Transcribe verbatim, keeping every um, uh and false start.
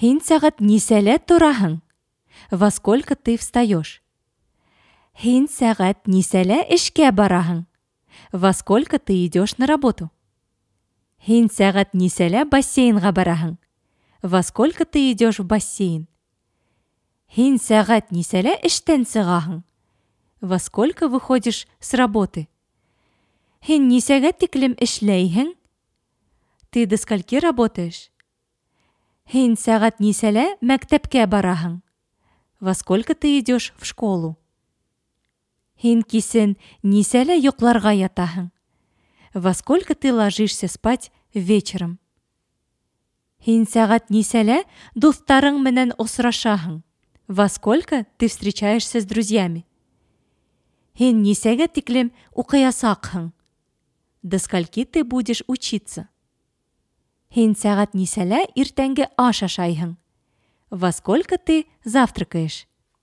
Һин сәғәт нисәлә тораһың? Во сколько ты встаешь? Һин сәғәт нисәлә эшкә бараһың? Во сколько ты идешь на работу? Һин сәғәт нисәлә бассейнға бараһың? Во сколько ты идешь в бассейн? Һин сәғәт нисәлә эштән сығаһың? Во сколько выходишь с работы? Һин нисәгә тиклем эшләйһең? Ты до скольки работаешь? Һин сәғәт нисәлә мәктәпкә бараһың? Во сколько ты идешь в школу? Һин кисен нисәлә йоҡларға ятаһың? Во сколько ты ложишься спать вечером? Һин сәғәт нисәлә дуҫтарың менән осрашаһың? Во сколько ты встречаешься с друзьями? Һин нисәгә тиклем уҡыясаҡһың? До скольки ты будешь учиться? Һин сәғәт нисәлә иртәнге аш ашайһың? Во сколько ты завтракаешь?